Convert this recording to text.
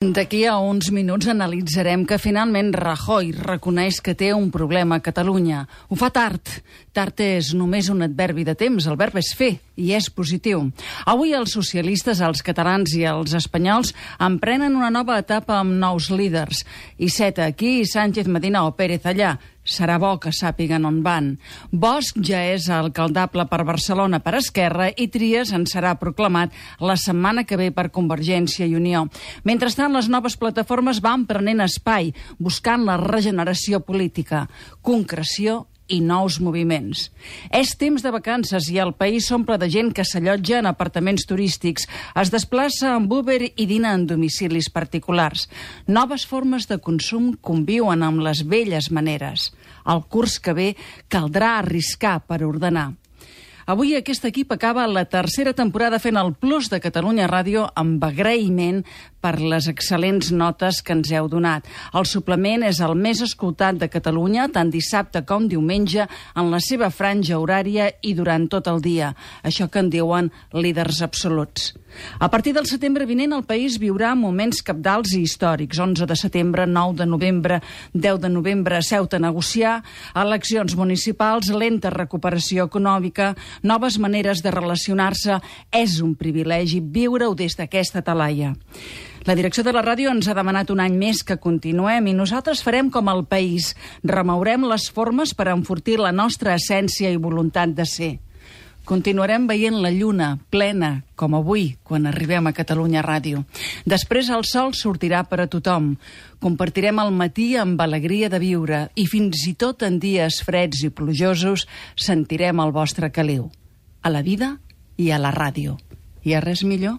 D'aquí a uns minuts analitzarem que finalment Rajoy reconeix que té un problema a Catalunya. Ho fa tard. Tard és només un adverbi de temps. El verb és fer i és positiu. Avui els socialistes, els catalans i els espanyols emprenen una nova etapa amb nous líders. Iceta aquí, Sánchez, Medina o Pérez allà. Serà bo que sàpiguen on van. Bosch ja és alcaldable per Barcelona per Esquerra i Trias en serà proclamat la setmana que ve per Convergència i Unió. Mentrestant, les noves plataformes van prenent espai, buscant la regeneració política, concreció i nous moviments. És temps de vacances i el país s'omple de gent que s'allotja en apartaments turístics, es desplaça amb Uber i dina en domicilis particulars. Noves formes de consum conviuen amb les velles maneres. El curs que ve caldrà arriscar per ordenar. Avui aquest equip acaba la tercera temporada fent el Plus de Catalunya Ràdio amb agraïment per les excel·lents notes que ens heu donat. El suplement és el més escoltat de Catalunya, tant dissabte com diumenge, en la seva franja horària i durant tot el dia. Això que en diuen líders absoluts. A partir del setembre vinent, el país viurà moments cabdals i històrics. 11 de setembre, 9 de novembre, 10 de novembre, Ceuta a negociar, eleccions municipals, lenta recuperació econòmica, noves maneres de relacionar-se. És un privilegi viure-ho des d'aquesta talaia. La direcció de la ràdio ens ha demanat un any més que continuem i nosaltres farem com el país. Remourem les formes per enfortir la nostra essència i voluntat de ser. Continuarem veient la lluna plena, com avui, quan arribem a Catalunya Ràdio. Després el sol sortirà per a tothom. Compartirem el matí amb alegria de viure i fins i tot en dies freds i plujosos sentirem el vostre caliu. A la vida i a la ràdio. Hi ha res millor?